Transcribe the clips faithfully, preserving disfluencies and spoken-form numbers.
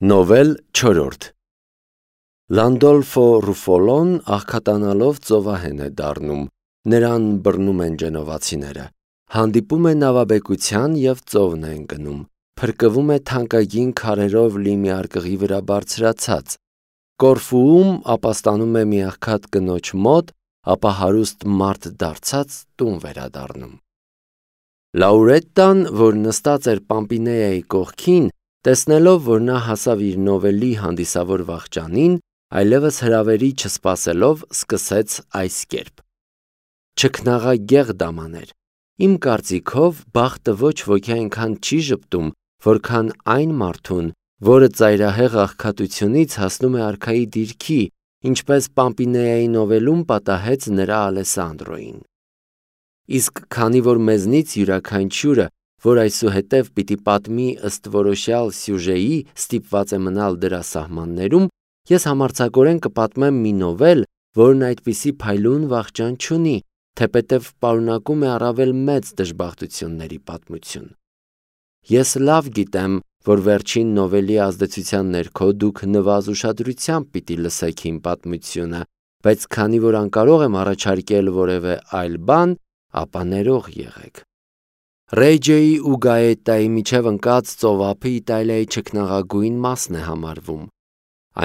Նովել չորրորդ Լանդոլֆո Ռուֆոլոն աղքատանալով ծովահեն է դառնում, նրան բռնում են գենովացիները, հանդիպում է նավաբեկության և ծովն է ընկնում, փրկվում է թանկագին քարերով լի մի արկղի վրա բարձրացած, Կորֆուում ապաստանում է մի աղքատ կնոջ մոտ, ապա հարուստ մարդ դարձած տուն վերադառնում։ Լաուրետտան, որ նստած էր Պամպինեայի կողքին, տեսնելով, որ նա հասավ իր նովելի հանդիսավոր վախճանին, այլևս հրավերի չսպասելով, սկսեց այս կերպ. Չքնաղագեղ դամաներ, իմ կարծիքով բախտը ոչ ոքի այնքան չի ժպտում, որքան այն մարդուն, որը ծայրահեղ աղքատությունից հասնում է արքայի դիրքի, ինչպես Պամպինեայի նովելում պատահեց նրա Ալեսանդրոյին։ Իսկ քանի որ մեզնից յուրաքանչյուրը, որ այսուհետև պիտի պատմի ըստ որոշյալ սյուժեի, ստիպված է մնալ դրա սահմաններում, ես համարձակորեն կպատմեմ մի նովել, որն այդպիսի փայլուն վախճան չունի, թեպետև պարունակում է առավել մեծ դժբախտությունների պատմություն։ Ես լավ գիտեմ, որ վերջին նովելի ազդեցության ներքո դուք նվազ ուշադրությամբ պիտի լսեք իմ պատմությունը, բայց քանի որ անկարող եմ առաջարկել որևէ այլ բան, ապա ներող եղեք։ Ռեջեի ու Գաետայի միջև ընկած ծովափը Իտալիայի չքնաղագույն մասն է համարվում։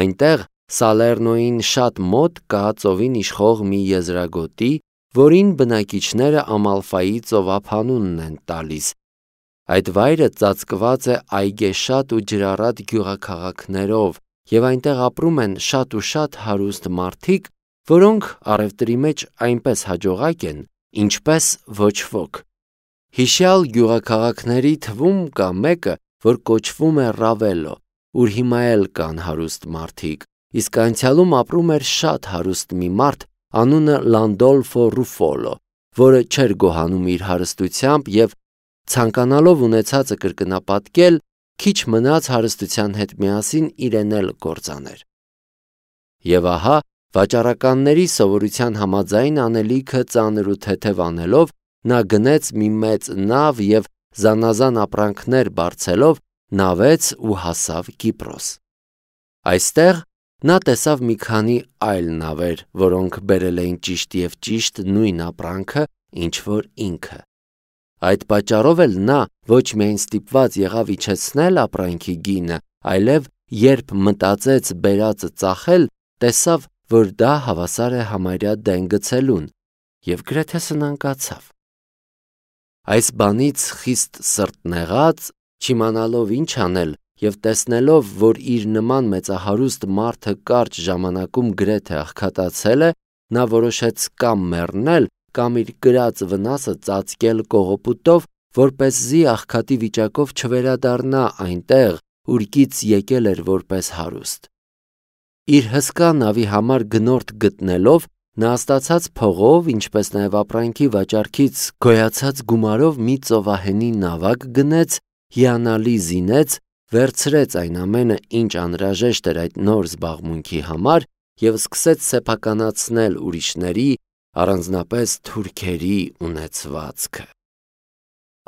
Այնտեղ Սալեռնոյին շատ մոտ կա ծովին իշխող մի եզրագոտի, որին բնակիչները Ամալֆայի ծովափ անունն են տալիս։ Այդ վայրը ծածկված է այգեշատ ու ջրառատ գյուղաքաղաքներով, և այնտեղ ապրում են շատ ու շատ հարուստ մարդիկ, որոնք առևտրի մեջ այնպես հաջողակ են, ինչպես ոչ ոք։ Հիշյալ գյուղաքաղաքների թվում կա մեկը, որ կոչվում է Ռավելո, ուր հիմա էլ կան հարուստ մարդիկ, իսկ անցյալում ապրում էր շատ հարուստ մի մարդ, անունը Լանդոլֆո Ռուֆոլո, որը չէր գոհանում իր հարստությամբ և, ցանկանալով ունեցածը կրկնապատկել, քիչ մնաց հարստության հետ միասին իրեն էլ կործաներ։ Եվ ահա, վաճառականների սովորության համաձայն անելիքը ծանր ու թեթև անելով, նա գնեց մի մեծ նավ և զանազան ապրանքներ բարձելով նավեց ու հասավ Կիպրոս։ Այստեղ նա տեսավ մի քանի այլ նավեր, որոնք բերել էին ճիշտ և ճիշտ նույն ապրանքը, ինչ որ ինքը։ Այդ պատճառով էլ նա ոչ միայն ստիպված եղավ իջեցնել ապրանքի գինը, այլև երբ մտածեց բերածը ծախել, տեսավ, որ դա հավասար է համարյա դեն գցելուն, և գրեթե սնանկացավ։ Այս բանից խիստ սրտնեղած, չիմանալով ինչ անել և տեսնելով, որ իր նման մեծահարուստ մարդը կարճ ժամանակում գրեթե աղքատացել է, նա որոշեց կամ մեռնել, կամ իր կրած վնասը ծածկել կողոպուտով, որպեսզի աղքատի վիճակով չվերադառնա այնտեղ, ուր եկել էր որպես հարուստ։ Իր հսկա նավի համար գնորդ գտնելով, նա ստացած փողով, ինչպես նաև ապրանքի վաճառքից գոյացած գումարով մի ծովահենի նավակ գնեց, հիանալի զինեց, վերցրեց այն ամենը, ինչ անհրաժեշտ էր այդ նոր զբաղմունքի համար և սկսեց սեփականացնել ուրիշների, առանձնապես թուրքերի ունեցվածքը։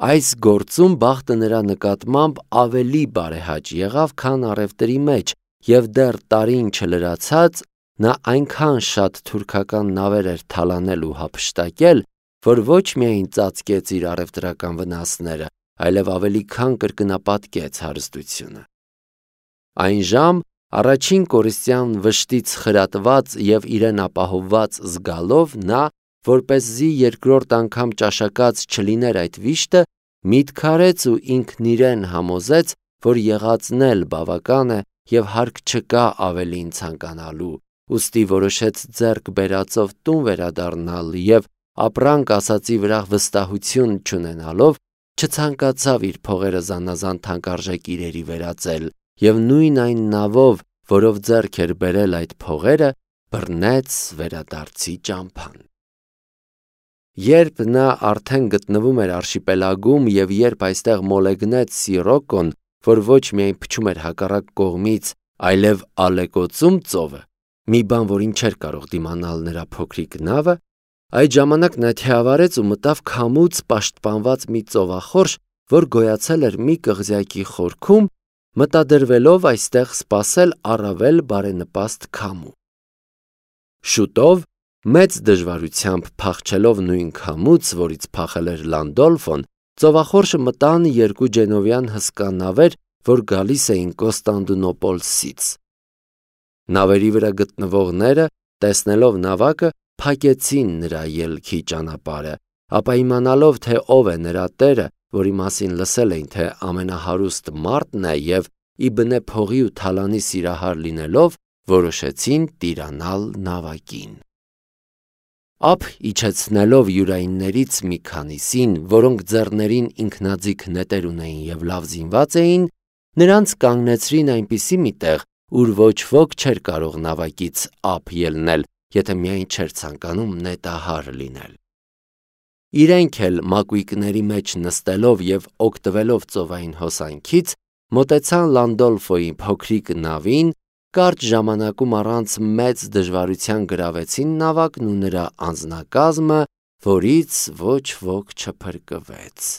Այս գործում բախտը նրա նկատմամբ ավելի բարեհաճ եղավ, քան առևտրի մեջ, և դեռ տարին չլրացած, նա այնքան շատ թուրքական նավեր էր թալանել ու հափշտակել, որ ոչ միայն ծածկեց իր առևտրական վնասները, այլև ավելի քան կրկնապատկեց հարստությունը։ Այն ժամ, առաջին կորիստյան վշտից խրատված և իրեն ապահովված զգալով, նա, որպեսզի երկրորդ անգամ ճաշակած չլիներ այդ վիշտը, միտք արեց ու ինքն իրեն համոզեց, որ եղածն էլ բավական է և հարկ չկա ավելին ցանկանալու, ուստի որոշեց ձեռք բերածով տուն վերադառնալ և, ապրանք ասածի վրա վստահություն չունենալով, չցանկացավ իր փողերը զանազան թանկարժեք իրերի վերածել և նույն այն նավով, որով ձեռք էր բերել այդ փողերը, բռնեց վերադարձի ճամփան։ Երբ նա արդեն գտնվում էր արշիպելագում և երբ այստեղ մոլեգնեց Սիրոկոն, որ ոչ միայն փչում էր հակառակ կողմից, այլև ալեկոծում ծովը, մի բան, որին չէր կարող դիմանալ նրա փոքրիկ նավը, այդ ժամանակ նա թիավարեց ու մտավ քամուց պաշտպանված մի ծովախորշ, որ գոյացել էր մի կղզյակի խորքում մտադրվելով այստեղ սպասել առավել բարենպաստ քամու։ Շուտով, մեծ դժվարությամբ փախչելով նույն քամուց, որից փախել էր Լանդոլֆոն, ծովախորշը մտան երկու գենովյան հսկա նավեր, որ գալիս էին Կոստանդնուպոլսից։ Նավերի վրա գտնվողները, տեսնելով նավակը, փակեցին նրա ելքի ճանապարհը, ապա իմանալով, թե ով է նրա տերը, որի մասին լսել էին, թե ամենահարուստ մարդն է եւ իբնե փողի ու թալանի սիրահար լինելով, որոշեցին տիրանալ նավակին։ Ափ իջեցնելով յուրայիններից մի քանիսին, որոնք ձեռներին ինքնաձիգ նետեր ունեին եւ լավ զինված էին, նրանց կանգնեցրին այնպիսի մի տեղ, ուր ոչ ոք չէր կարող նավակից ափ ելնել, եթե միայն չէր ցանկանում նետահար լինել։ Իրենք էլ մակույկների մեջ նստելով եւ օգտվելով ծովային հոսանքից, մոտեցան Լանդոլֆոյի փոքրիկ նավին, կարճ ժամանակում առանց մեծ դժվարության գրավեցին նավակն ու նրա անձնակազմը, որից ոչ ոք չփրկվեց։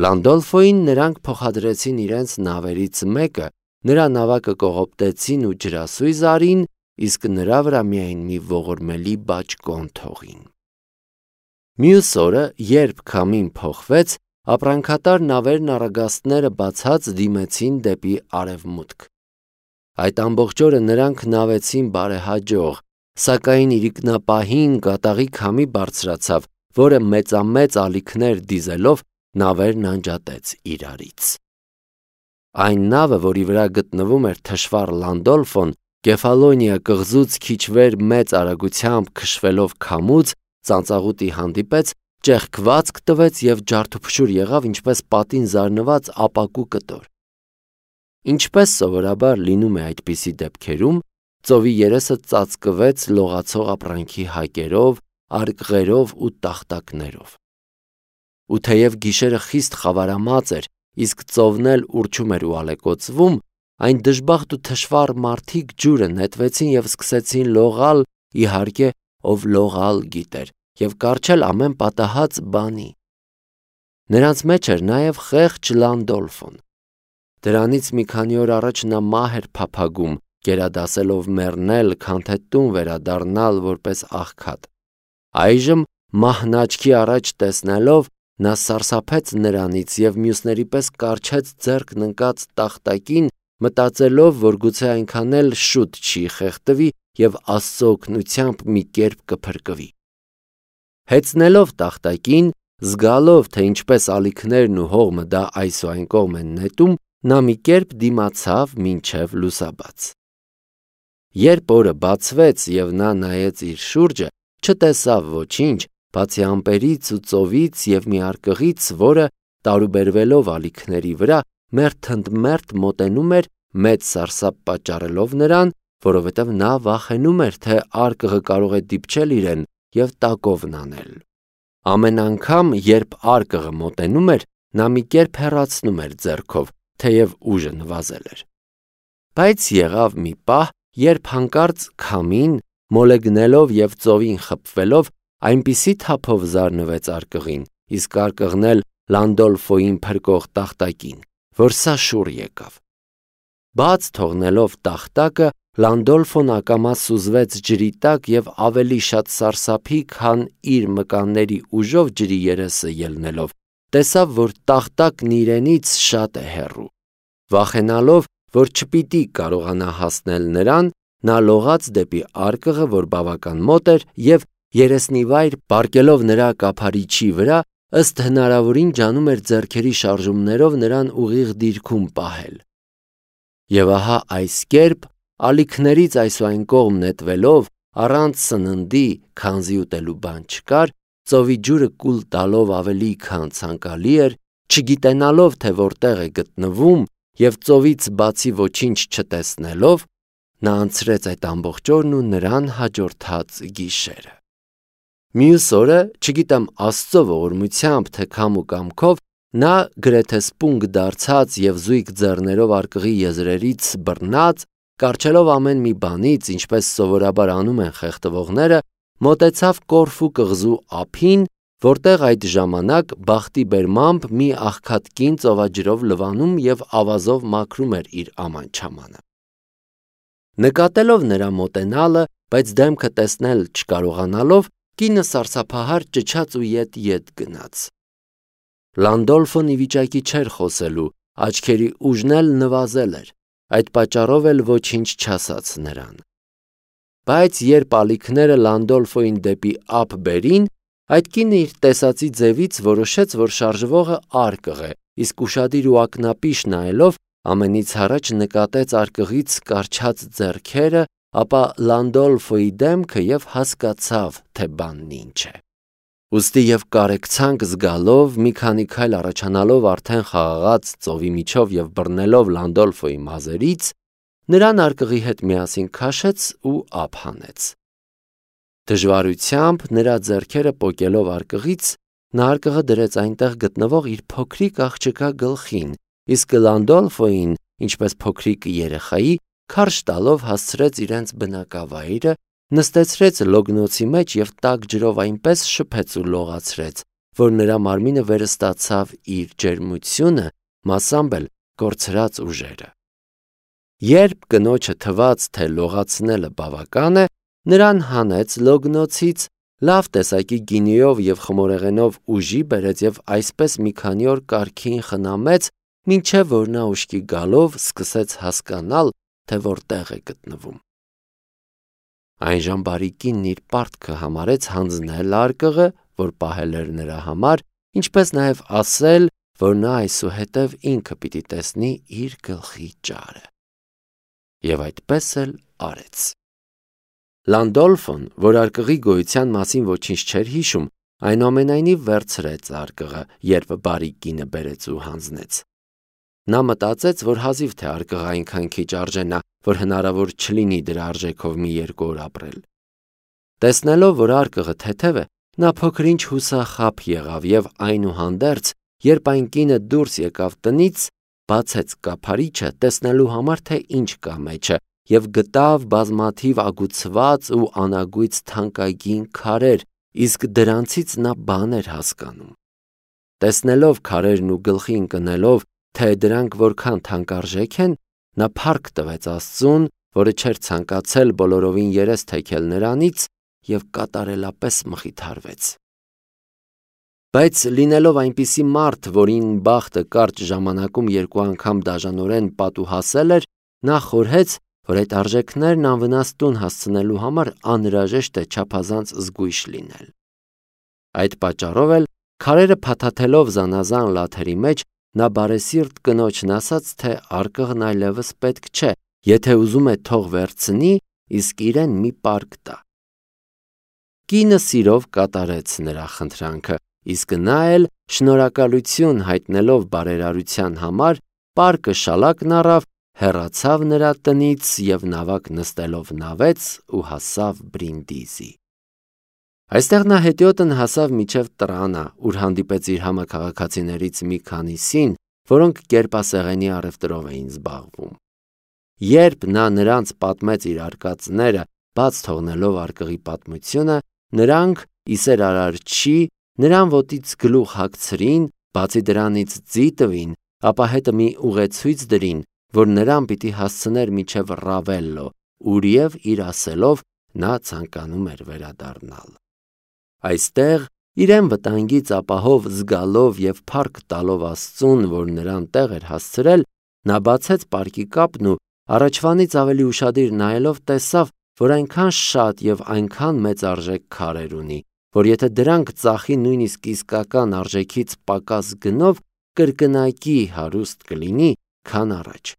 Լանդոլֆոյին նրանք փոխադրեցին իրենց նավերից մեկը, նրա նավակը կողոպտեցին ու ջրասույզ արին, իսկ նրա վրա միայն մի ողորմելի բաճկոն թողին։ Մյուս օրը, երբ քամին փոխվեց, ապրանքատար նավերն առագաստները բացած դիմեցին դեպի արևմուտք։ Այդ ամբողջ օրը նրանք նավեցին բարեհաջող, սակայն իրիկնապահին կատաղի քամի բարձրացավ, որը մեծամեծ ալիքներ դիզելով նավերն անջատեց իրարից։ Այն նավը, որի վրա գտնվում էր թշվառ Լանդոլֆոն, Կեֆալոնիա կղզուց քիչ վեր մեծ արագությամբ քշվելով քամուց, ծանծաղուտի հանդիպեց, ճեղքվածք տվեց եւ ջարդուփշուր եղավ ինչպես պատին զարնված ապակու կտոր։ Ինչպես սովորաբար լինում է այդպիսի դեպքերում, ծովի երեսը ծածկվեց լողացող ապրանքի հակերով, արկղերով ու տախտակներով։ Ու թեև գիշերը խիստ խավարամած էր, իսկ ծովն էլ ուռչում էր ու ալեկոծվում, այն դժբախտ ու թշվառ մարդիկ ջուրը նետվեցին եւ սկսեցին լողալ, իհարկե, ով լողալ գիտեր, եւ կառչել ամեն պատահած բանի։ Նրանց մեջ էր նաեւ խեղճ Լանդոլֆոն։ Դրանից մի քանի օր առաջ նա մահ էր փափագում, գերադասելով մեռնել, քան թե տուն վերադառնալ որպես աղքատ։ Այժմ մահն աչքի առաջ տեսնելով, նա սարսափեց նրանից եւ մյուսների պես կառչեց ձեռքն ընկած տախտակին, մտածելով, որ գուցե այնքան էլ շուտ չի խեղդվի եւ Աստծո օգնությամբ մի կերպ կփրկվի։ Հեծնելով տախտակին, զգալով, թե ինչպես ալիքներն ու հողմը դա այս ու այն կողմ են նետում, նա մի կերպ դիմացավ մինչև լուսաբաց։ Երբ օրը բացվեց եւ նա նայեց իր շուրջը, չտեսավ ոչինչ, բացի ամպերից ու ծովից եւ մի արկղից, որը, տարուբերվելով ալիքների վրա, մերթընդմերթ մոտենում էր, մեծ սարսափ պատճառելով նրան, որովհետև նա վախենում էր, թե արկղը կարող է դիպչել իրեն եւ տակովն անել։ Ամեն անգամ, երբ արկղը մոտենում էր, նա մի կերպ հեռացնում էր ձեռքով, թեև ուժը նվազել էր։ Բայց եղավ մի պահ, երբ հանկարծ քամին, մոլեգնելով եւ ծովին խփվելով, այնպիսի թափով զարնվեց արկղին, իսկ արկղն էլ Լանդոլֆոյին փրկող տախտակին, որ սա շուռ եկավ։ Բաց թողնելով տախտակը, Լանդոլֆոն ակամա սուզվեց ջրի տակ եւ ավելի շատ սարսափի, քան իր մկանների ուժով ջրի երեսը ելնելով, տեսավ, որ տախտակն իրենից շատ է հեռու։ Վախենալով, որ չպիտի կարողանա հասնել նրան, նա լողաց դեպի արկղը, որ բավական մոտ էր, եւ երեսնիվայր պառկելով նրա կափարիչի վրա, ըստ հնարավորին ջանում էր ձեռքերի շարժումներով նրան ուղիղ դիրքում պահել։ Եվ ահա այս կերպ, ալիքներից այս ու այն կողմ նետվելով, առանց սննդի, քանզի ուտելու բան չկար, ծովի ջուրը կուլ տալով ավելի քան ցանկալի էր, չգիտենալով, թե որտեղ է գտնվում, եւ ծովից բացի ոչինչ չտեսնելով, նա անցրեց այդ ամբողջ օրն ու նրան հաջորդած գիշերը։ Մյուս օրը, չգիտեմ Աստծո ողորմությամբ, թե քամ ու կամքով, նա գրեթե սպունգ դարձած եւ զույգ ձեռներով արկղի եզրերից բռնած, կառչելով ամեն մի բանից, ինչպես սովորաբար անում են խեղդվողները, մոտեցավ Կորֆու կղզու ափին որտեղ այդ ժամանակ բախտի բերմամբ մի աղքատ կին ծովաջրով լվանում և ավազով մաքրում էր իր աման-չամանը։ Նկատելով նրա մոտենալը, բայց դեմքը տեսնել չկարողանալով, կինը սարսափահար ճչաց ու ետ-ետ գնաց։ Լանդոլֆոն ի վիճակի չէր խոսելու, աչքերի ուժն էլ նվազել էր, այդ պատճառով էլ ոչինչ չասաց նրան։ Բայց երբ ալիքները Լանդոլֆոյին դեպի ափ բերին, այդ կինը իր տեսածի ձևից որոշեց, որ շարժվողը արկղ է, իսկ ուշադիր ու ակնապիշ նայելով ամենից առաջ նկատեց արկղից կառչած ձեռքերը, ապա Լանդոլֆոյի դեմքը և հասկացավ, թե բանն ինչ է։ Ուստի և կարեկցանք զգալով, մի քանի քայլ առաջանալով արդեն խաղաղած ծովի միջով և բռնելով Լանդոլֆոյի մազերից, նրան արկղի հետ միասին քաշեց ու ափ հանեց։ Դժվարությամբ նրա ձեռքերը պոկելով արկղից, նա արկղը դրեց այնտեղ գտնվող իր փոքրիկ աղջկա գլխին, իսկ Լանդոլֆոյին, ինչպես փոքրիկ երեխայի, քարշ տալով հասցրեց իրենց բնակավայրը, նստեցրեց լոգնոցի մեջ և տաք ջրով այնպես շփեց ու լողացրեց, որ նրա մարմինը վերստացավ իր ջերմությունը, մասամբ էլ կորցրած ուժերը։ Երբ կնոջը թվաց, թե լողացնելը բավական է, նրան հանեց լոգնոցից, լավ տեսակի գինիով և խմորեղենով ուժի բերեց և այսպես մի քանի օր կարգին խնամեց, մինչև որ նա ուշքի գալով սկսեց հասկանալ, թե որտեղ է գտնվում։ Այնժամ բարի կինն իր պարտքը համարեց հանձնել արկղը, որ պահել էր նրա համար, ինչպես նաև ասել, որ նա այսուհետև ինքը պիտի տեսնի իր գլխի ճարը։ Եվ այդպես էլ արեց։ Լանդոլֆոն, որ արկղի գոյության մասին ոչինչ չէր հիշում, այնուամենայնիվ վերցրեց արկղը, երբ բարի կինը բերեց ու հանձնեց։ Նա մտածեց, որ հազիվ թե արկղը այնքան քիչ արժենա, որ հնարավոր չլինի դրա արժեքով մի երկու օր ապրել։ Տեսնելով, որ արկղը թեթև է, նա փոքր-ինչ հուսախաբ եղավ և այնուհանդերձ, երբ այն կինը դուրս եկավ տնից, բացեց կափարիչը, տեսնելու համար, թե ինչ կա մեջը, և գտավ բազմաթիվ ագուցված ու անագույց թանկագին քարեր, իսկ դրանցից նա բան էր հասկանում։ Տեսնելով քարերն ու գլխի ընկնելով, թե դրանք որքան թանկարժեք են, նա փառք տվեց Աստծուն, որը չէր ցանկացել բոլորովին երես թեքել նրանից, և կատարելապես մխիթարվեց։ Բայց լինելով այնպիսի մարդ, որին բախտը կարճ ժամանակում երկու անգամ դաժանորեն պատուհասել էր, նա խորհեց, որ այդ արժեքներն անվնաս տուն հասցնելու համար անհրաժեշտ է չափազանց զգույշ լինել։ Այդ պատճառով էլ, քարերը փաթաթելով զանազան լաթերի մեջ, նա բարեսիրտ կնոջն ասաց, թե արկղն այլևս պետք չէ, եթե ուզում է թող վերցնի, իսկ իրեն մի պարկ տա։ Կինը սիրով կատարեց նրա խնդրանքը, իսկ նա էլ շնորհակալություն հայտնելով բարերարության համար, պարկը շալակն առավ, հեռացավ նրա տնից և նավակ նստելով նավեց ու հասավ Բրինդիզի։ Այստեղ նա հետիոտն հասավ մինչև Տրանա, ուր հանդիպեց իր համաքաղաքացիներից մի քանիսին, որոնք կերպասեղենի առևտրով էին զբաղվում։ Երբ նա նրանց պատմեց իր արկածները, բաց թողնելով արկղի պատմությունը, նրանք, իսեր Արարչի, նրան ոտից գլուխ հագցրին, բացի դրանից ձի տվին, ապա հետը մի ուղեցույց դրին, որ նրան պիտի հասցներ մինչև Ռավելլո, ուրև իր ասելով նա ցանկանում էր վերադառնալ։ Այստեղ, իրեն վտանգից ապահով զգալով և փառք տալով Աստծուն, որ նրան տեղ էր հասցրել, նա բացեց պարկի կապն ու առաջվանից ավելի ուշադիր նայելով տեսավ, որ այնքան շատ և այնքան մեծ արժեք քարեր ունի, որ եթե դրանք ծախի նույնիսկ իսկական արժեքից պակաս գնով, կրկնակի հարուստ կլինի, քան առաջ։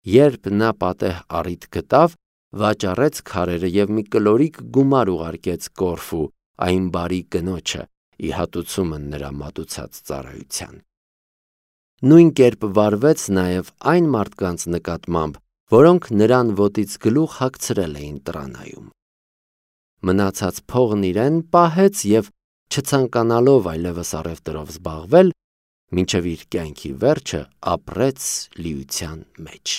Երբ նա պատեհ առիթ գտավ, վաճառեց քարերը և մի կլորիկ գումար ուղարկեց Կորֆու, այն բարի կնոջը, ի հատուցումը նրա մատուցած ծառայության։ Նույն կերպ վարվեց նաև այն մարդկանց նկատմամբ, որոնք նրան ոտից գլուխ հագցրել էին Տրանայում։ Մնացած փողն իրեն պահեց և, չցանկանալով այլևս առևտրով զբաղվել, մինչև իր կյանքի վերջը ապրեց լիության մեջ։